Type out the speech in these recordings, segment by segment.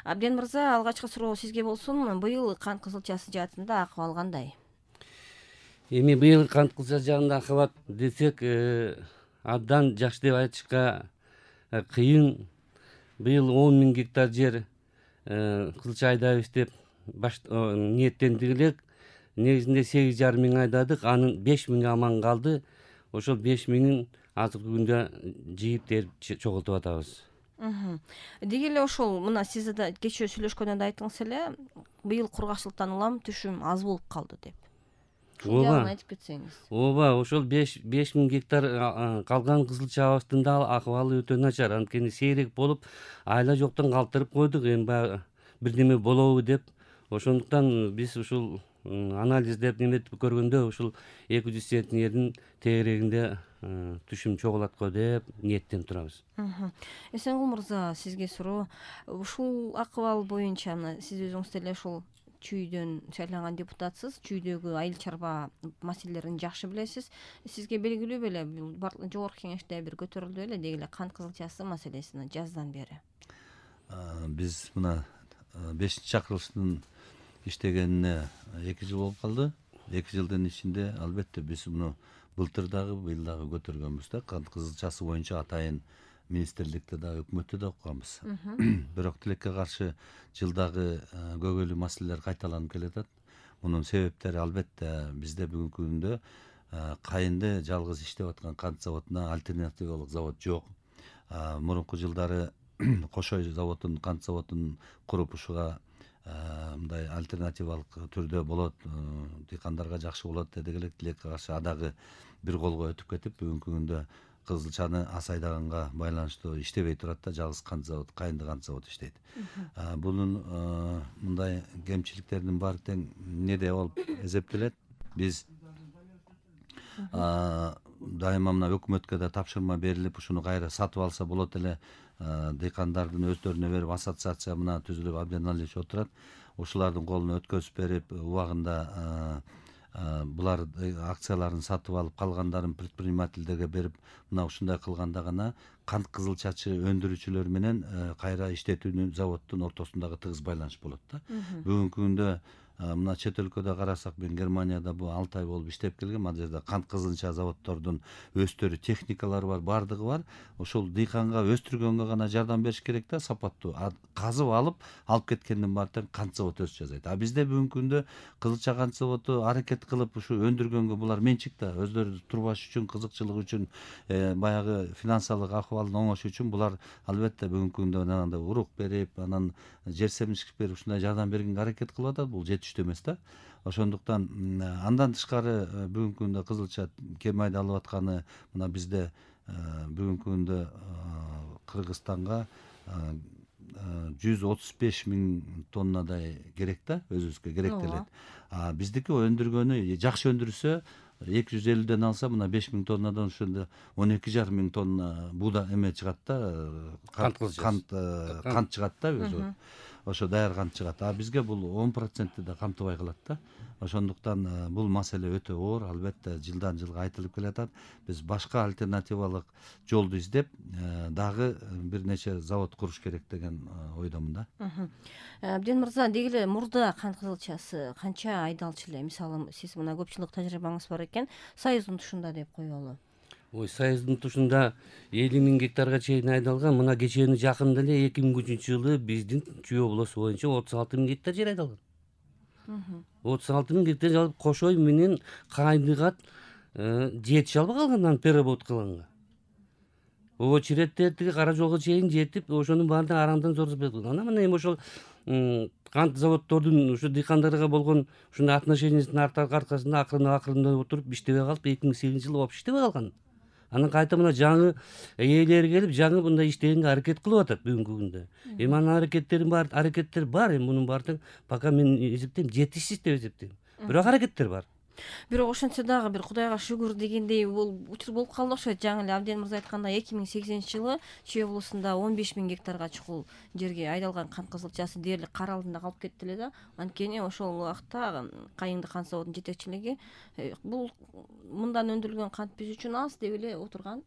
Абден мырза, алгачкы суроо сизге болсун. Быйыл кант кызылчасы жаатында акыбал кандай? Эми быйыл кант кызылчасы жагында акыбат десек, абдан жакшы деп айтышка кыйын. Быйыл 10 000 гектар жер кызылча айдайбыз деп ниеттендик элек. Негизинде 8,5 миң айдадык, анын 5 миңи аман калды. Ошол 5 миңин азыркы күндө жыйып терип чогултуп атабыз. Деги эле ошол мына сиз да кечээ сүйлөшкөндө да айттыңыз эле, быйыл кургакчылыктан улам түшүм аз болуп калды деп. Ушул жагын айтып кетсеңиз. Ооба, ошол 5 миң гектар калган кызылчабыздын да акыбалы өтө начар. Анткени сейрек болуп, айла жоктон калтырып койдук, эми баягы бирдеме болобу деп. Ошондуктан биз ушул анализдеп неметип көргөндө ушул 200 центнердин тегерегинде түшүм чогулат го деп ниеттенип турабыз. Эсенгул мырза, сизге суроо. Ушул акыбал боюнча мына сиз өзүңүз деле ушул чүйдөн шайланган депутатсыз, чүйдөгү айыл чарба маселелерин жакшы билесиз. Сизге белгилүү беле, жогорку кеңеште бир көтөрүлдү беле деги эле кант кызылчасы маселесин жаздан бери. Биз мына 5-чакырылыштын иштегенине 2 жыл болуп калды. 2 жылдын ичинде албетте биз муну былтыр дагы быйыл дагы көтөргөнбүз да. Кант кызылчасы боюнча атайын министрликте дагы өкмөттө да окуганбыз. Бирок тилекке каршы жылдагы көйгөйлүү маселелер кайталанып келатат. Мунун себептери албетте бизде бүгүнкү күндө Кайынды жалгыз иштеп аткан кант заводуна альтернативалык завод жок. Мурунку жылдары Кошой заводун, кант заводун куруп ушуга мындай альтернативалык түрдө болот, дыйкандарга жакшы болот дедик элек. Тилекке каршы адагы бир колго өтүп кетип, бүгүнкү күндө кызылчаны аз айдаганга байланыштуу иштебей турат да, жалгыз кант завод, Кайынды кант заводу иштейт. Бунун мындай кемчиликтеринин баары тең эмнеде болуп эсептелет? Биз дайыма мына өкмөткө да тапшырма берилип, ушуну кайра сатып алса болот эле, дыйкандардын өздөрүнө берип, ассоциация мына түзүлүп, Абден Алиевич отурат. Ошолордун колуна өткөзүп берип, убагында булар акцияларын сатып алып, калгандарын предпринимательдерге берип, мына ушундай кылганда гана кант кызылчачы өндүрүүчүлөр менен кайра иштетүүнүн заводдун ортосундагы тыгыз байланыш болот да. Бүгүнкү күндө мына чет өлкөдө карасак, мен Германияда бул 6 ай болуп иштеп келгем. Ал жерде кант кызылча заводдордун өздөрү техникалары бар, бардыгы бар. Ошол дыйканга өстүргөнгө гана жардам бериш керек да, сапаттуу. Казып алып кеткенден баары тең кант завод өз жасайт. Бизде бүгүнкү күндө кызылча кант заводу аракет кылып ушу өндүргөнгө, булар менчик да, өздөрү турбаш үчүн, кызыкчылык үчүн, баягы финансылык акыбалдын оңошу үчүн булар албетте бүгүнкү күндө анандай урук берип, анан жер семчилик берип, ушундай жардам бергенге аракет кылып атат. Бул жетиштүү эмес да. Ошондуктан андан тышкары бүгүнкү күндө кызылча кем айдалып атканы, мына бизде бүгүнкү күндө Кыргызстанга 135 000 тоннадай керек да, өзүбүзгө керектелет. Биздики өндүргөнү жакшы өндүрсө 250ден алса, мына 5 000 тоннадан ошондо 12,5 миң тонна буда эме чыгат да, кант чыгат да, өзү. Ошо даяр кант чыгат. Бизге бул 10% да камтыбай калат да. Ошондуктан бул маселе өтө оор, албетте жылдан жылга айтылып келатат. Биз башка альтернативалык жолду издеп, дагы бир нече завод куруш керек деген ойдомун да. Абден мырза, деги эле мурда кант кызылчасы канча айдалчу эле? Мисалы, сиз мына көпчүлүк тажрыйбаңыз бар экен, Союздун тушунда деп коелу. Союздун тушунда 50 000 гектарга чейин айдалган. Мына кечээни жакында эле 2003 жылы биздин Чүй облусу боюнча 36 000 гектар жер айдалган. 36 000 гектар алып Кошой менен Кайындыга жетише албай калган, анан переработкаланганга. Очередтерди кара жолго чейин жетип, ошонун баарына арандан зорзбек кылган. Анан мына эми ошол кант заводдордун ушу дыйкандарга болгон ушундай отношениясынын аркасында акырында отуруп иштебей калып, 2008 жылы вообще иштебей калган. Анан кайта мына жаңы ээлери келип, жаңы мындай иштегенге аракет кылып атат бүгүнкү күндө. Эми анын аракеттер бар, эми мунун баары пока мен эсептейм жетишсиз деп эсептейм. Бирок аракеттер бар. Бирок ошентсе дагы бир Кудайга шүгүр дегендей бул учур болуп калды окшойт. Жаңы эле Абден мырза айткандай 2008 жылы Чүй облусунда 15 000 гектарга чукул жерге айдалган кант кызылчасы дээрлик кар алдында калып кетти эле да. Анткени ошол убакта Кайынды кант заводунун жетекчилиги бул мындан өндүрүлгөн кант биз үчүн аз деп эле отурган.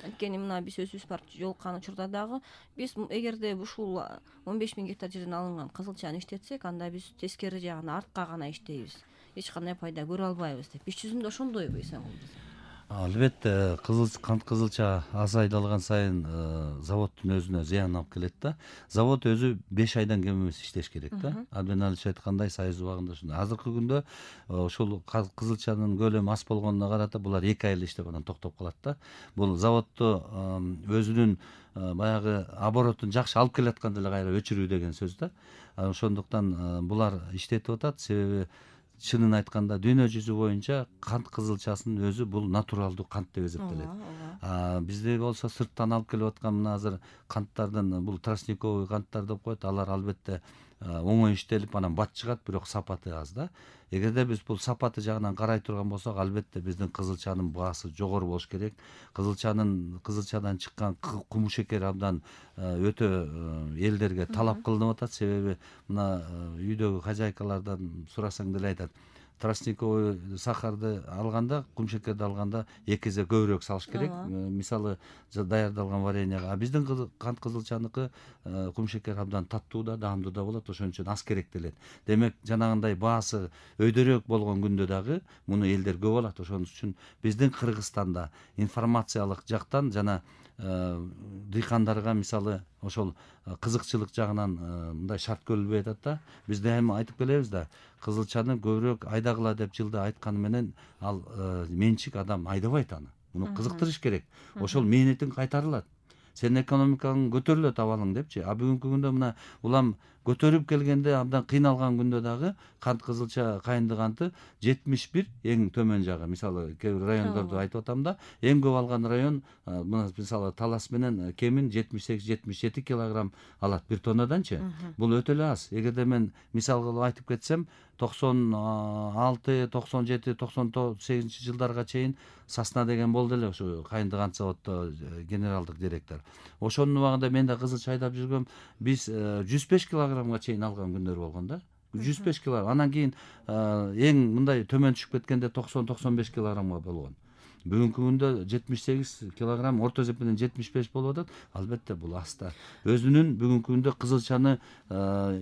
Анткени мына биз өзүбүз барып жолуккан учурда дагы биз эгерде ушул 15 000 гектар жерден алынган кызылчаны иштетсек, анда биз тескери жагына артка гана иштейбиз. Эч кандай пайда көрө албайбыз деп. Иш жүзүндө ошондойбу Эсенгул мырза? Албетте, кант кызылча аз айдалган сайын заводдун өзүнө зыян алып келет да. Завод өзү 5 айдан кем эмес иштеш керек да. Абден Алич айткандай, Союз убагында ушундай. Азыркы күндө ушул кызылчанын көлөмү аз болгонуна карата булар 2 ай эле иштеп анан токтоп калат да. Бул заводду өзүнүн баягы оборотун жакшы алып келатканда эле кайра өчүрүү деген сөз да. Ошондуктан булар иштетип атат, себеби чынын айтканда дүйнө жүзү боюнча кант кызылчасынын өзү бул натуралдуу кант деп эсептелет. Бизде болсо сырттан алып келип аткан мына азыр канттардын бул тростниковый канттар деп коет, алар албетте оңой иштелип анан бат чыгат, бирок сапаты аз да. Эгерде биз бул сапаты жагынан карай турган болсок, албетте биздин кызылчанын баасы жогору болуш керек. Кызылчадан чыккан кумшекер абдан өтө элдерге талап кылынып атат, себеби мына үйдөгү хозяйкалардан сурасаң деле айтат, тростниковый сахарды алганда, кумшекерди алганда 2 эсе көбүрөөк салыш керек. Мисалы даярдалган вареньега. Биздин кант кызылчаныкы кумшекер абдан таттуу да, даамдуу да болот, ошон үчүн аз керектелет. Демек, жанагындай баасы өйдөрөөк болгон күндө дагы муну элдер көп алат. Ошон үчүн биздин Кыргызстанда информациялык жактан жана дыйкандарга мисалы ошол кызыкчылык жагынан мындай шарт көрүлбөй атат да. Биз дайыма айтып келебиз да, кызылчаны көбүрөөк айдагыла деп жылда айтканы менен ал менчик адам айдабайт аны. Муну кызыктырыш керек. Ошол мээнетиң кайтарылат. Сенин экономикаң көтөрүлөт абалың депчи. Бүгүнкү күндө мына улам көтөрүп келгенде абдан кыйналган күндө дагы кант кызылча кайынды канты 71 эң төмөн жагы. Мисалы кээ бир райондорду айтып атам да, эң көп алган район мына мисалы Талас менен Кемин 78-77 килограмм алат бир тоннаданчы. Бул өтө эле аз. Эгерде мен мисал кылып айтып кетсем, 96, 97, 98 жылдарга чейин Сасна деген болду эле ушу кайынды кант заводдо генералдык директор. Ошонун убагында мен да кызылча айдап жүргөм. Биз 105 килограммга чейин алган күндөр болгон да. 105 килограмм. Анан кийин эң мындай төмөн түшүп кеткенде 90-95 килограммга болгон. Бүгүнкү күндө 78 килограмм, орто эсеп менен 75 болуп атат. Албетте бул аз да. Өзүнүн бүгүнкү күндө кызылчаны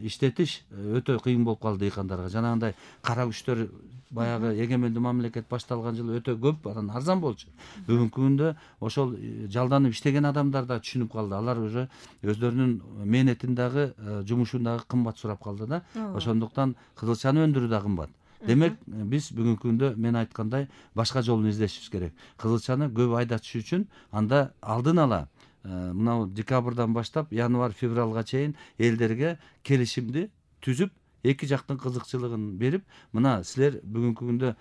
иштетиш өтө кыйын болуп калды дыйкандарга. Жанагындай кара күчтөр баягы эгемендүү мамлекет башталган жылы өтө көп, анан арзан болчу. Бүгүнкү күндө ошол жалданып иштеген адамдар да түшүнүп калды. Алар уже өздөрүнүн мээнетин дагы, жумушун дагы кымбат сурап калды да. Ошондуктан кызылчаны өндүрүү да кымбат. Демек, биз бүгүнкү күндө мен айткандай башка жолун издешибиз керек. Кызылчаны көп айдатыш үчүн анда алдын ала мына декабрдан баштап январь-февралга чейин элдерге келишимди түзүп, эки жактын кызыкчылыгын берип, мына силер бүгүнкү күндө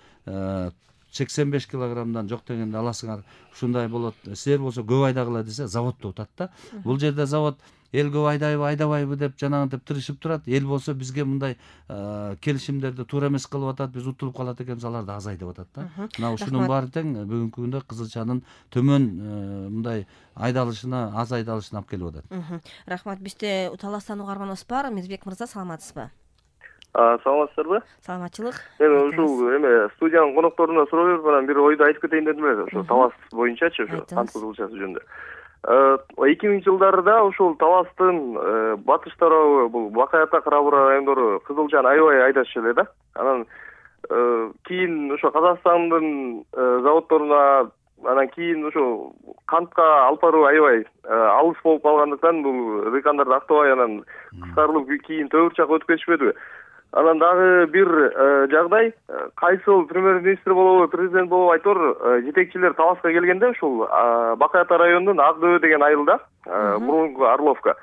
85 килограммдан жок дегенде аласыңар, ушундай болот. Силер болсо көп айдагыла десе, заводдо утат да. Бул жерде завод эл көп айдабайбы деп жанагынтип тырышып турат. Эл болсо бизге мындай келишимдерди туура эмес кылып атат, биз утулуп калат экенбиз, аларды аз айдап атат да. Мына ушунун баары тең бүгүнкү күндө кызылчанын төмөн мындай айдалышына, аз айдалышына алып келип атат. Рахмат. Бизде Таластан угарманыбыз бар. Мирбек мырза, саламатсызбы? Саламатсыздарбы? Саламатчылык. Мен ушул студиянын конокторуна суроо берип анан бир ойду айтып кетейин дедим эле, ошо Талас боюнчачы, ошо кант кызылчасы жөнүндө. 2000 жылдарда ушул Таластын батыш тарабы, бул Бакай Ата, Карабура райондору кызылчаны аябай айдашчу эле да. Анан кийин ошо Казакстандын заводдоруна, анан кийин ошо кантка алып баруу аябай алыс болуп калгандыктан бул дыйкандарды актабай анан кыскарылып кийин төбүр жакка өтүп кетишпедиби? Анан дагы бир жагдай, кайсыл премьер-министр болобу, президент болобу айтор жетекчилер Таласка келгенде ушул Бакай Ата районунун Ак Дөбө деген айылда, мурунку Орловка,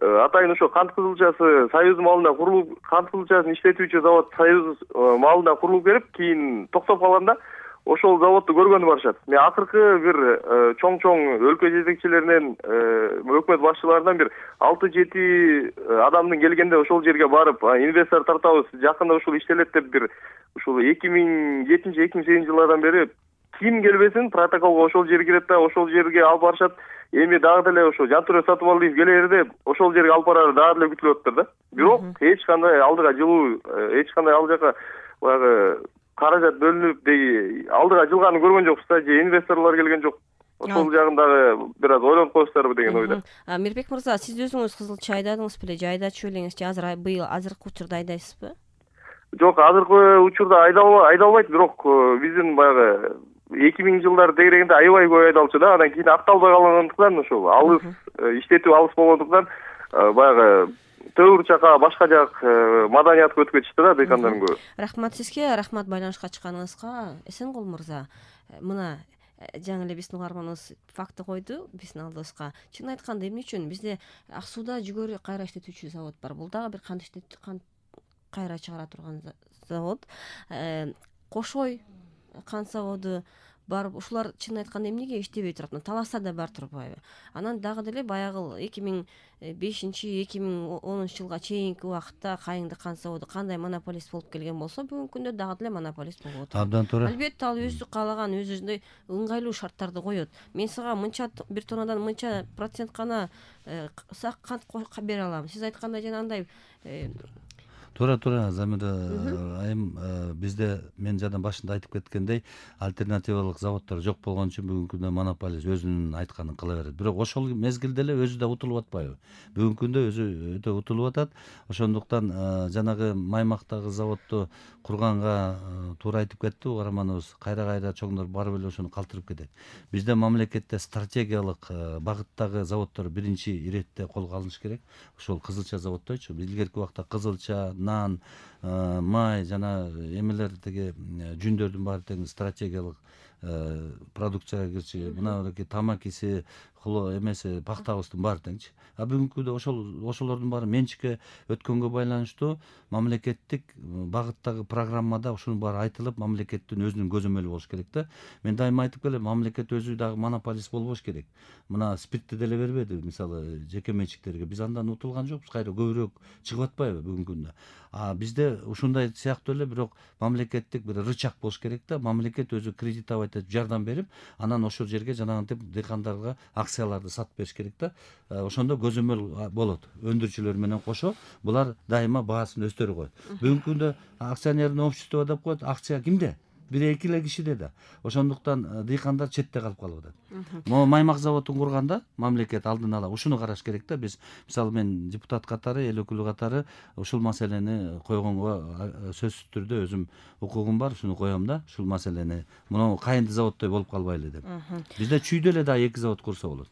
атайын ошо кант кызылчасы Союз маалында курулуп, кант кызылчасын иштетүүчү завод Союз маалында курулуп келип, кийин токтоп калганда ошол заводду көргөнү барышат. Мен акыркы бир чоң өлкө жетекчилеринен, өкмөт башчыларынан бир 6-7 адамдын келгенде ошол жерге барып, инвестор тартабыз, жакында ушул иштелет деп бир ушул 2007-2008 жылдардан бери ким келбесин протоколго ошол жер кирет да, ошол жерге алып барышат. Эми дагы деле ошо Жантүрө Сатыбалдиев келерде ошол жерге алып барары дагы деле күтүлүп атыптыр да. Бирок эч кандай алдыга жылуу, эч кандай ал жака баягы каражат бөлүнүп алдыга жылганын көргөн жокпуз да, же инвесторлор келген жок. ошол жагын дагы бир аз ойлонуп коесуздарбы деген ойдо. Мирбек мырза, сиз өзүңүз кызыл чай айдадыңыз беле же айдачу белеңиз, же азыркы учурда айдайсызбы? Жок, азыркы учурда айдалбайт, бирок биздин баягы 2000-жылдар дегенде аябай көп айдалчу да, андан кийин акталбай калгандыктан ошол алыс иштетүү алыс болгондуктан баягы төр жака башка жак маданиятка өтүп кетишти да дыйкандардын көбү. Рахмат сизге, рахмат байланышка чыкканыңызга. Эсенгул мырза, мына жаңы эле биздин угарманыбыз факты койду биздин алдыбызга. Чын айтканда эмне үчүн бизде Ак сууда жүгөрү кайра иштетүүчү завод бар. Бул дагы бир кант кайра чыгара турган завод. Кошой кант заводу бар. Ушулар чын айтканда эмнеге иштебей турат? Таласта да бар турбайбы? Анан дагы деле баягы 2005-2010 жылга чейинки убакытта Кайыңды кант заводу кандай монополист болуп келген болсо, бүгүнкү күндө дагы деле монополист болуп атат. Абдан туура. Албетте ал өзү каалаган, өзүндөй ыңгайлуу шарттарды коет. Мен сага мынча бир тоннадан мынча процент гана сак кант бере алам. Сиз айткандай жана андай Туура Замира айым, бизде мен жана башында айтып кеткендей альтернативалык заводдор жок болгон үчүн бүгүнкү күндө монополист өзүнүн айтканын кыла берет. Бирок ошол мезгилде эле өзү да утулуп атпайбы? Бүгүнкү күндө өзү өтө утулуп атат. Ошондуктан жанагы Маймактагы заводду курганга туура айтып кетти угарманыбыз. Кайра чоңдор барып эле ошону калтырып кетет. Бизде мамлекетте стратегиялык багыттагы заводдор биринчи иретте колго алыныш керек. Ошол кызылча заводдойчу. Илгерки убакта кызылча, нан, май жана эмелер теги жүндөрдүн баары тең стратегиялык продукцияга кирчү. Мынабеки тамакиси, эмеси, пактабыздын баары теңчи. Бүгүнкү күндө ошолордун баары менчикке өткөнгө байланыштуу мамлекеттик багыттагы программада ушунун баары айтылып, мамлекеттин өзүнүн көзөмөлү болуш керек да. Мен дайыма айтып келем, мамлекет өзү дагы монополист болбош керек. Мына спиртти деле бербеди, мисалы, жеке менчиктерге. Биз андан утулган жокпуз, кайра көбүрөөк чыгып атпайбы бүгүнкү күндө. Бизде ушундай сыяктуу эле бирок мамлекеттик бир рычаг болуш керек да. Мамлекет өзү кредитовать этип, жардам берип, анан ошол жерге жанагынтип дыйкандарга акцияларды сатып бериш керек да. Ошондо көзөмөл болот. Өндүрүүчүлөр менен кошо булар дайыма баасын өстөрө коет. Бүгүнкү күндө акционерный общество деп коет, акция кимде? 1-2 эле кишиде да. Ошондуктан дыйкандар четте калып атат. Могу Маймак заводун курганда мамлекет алдын ала ушуну караш керек да. Биз мисалы мен депутат катары, эл өкүлү катары ушул маселени койгонго сөзсүз түрдө өзүм укугум бар, ушуну коем да. Ушул маселени Кайыңды заводдой болуп калбайлы деп. Бизде Чүйдө эле да 2 завод курса болот.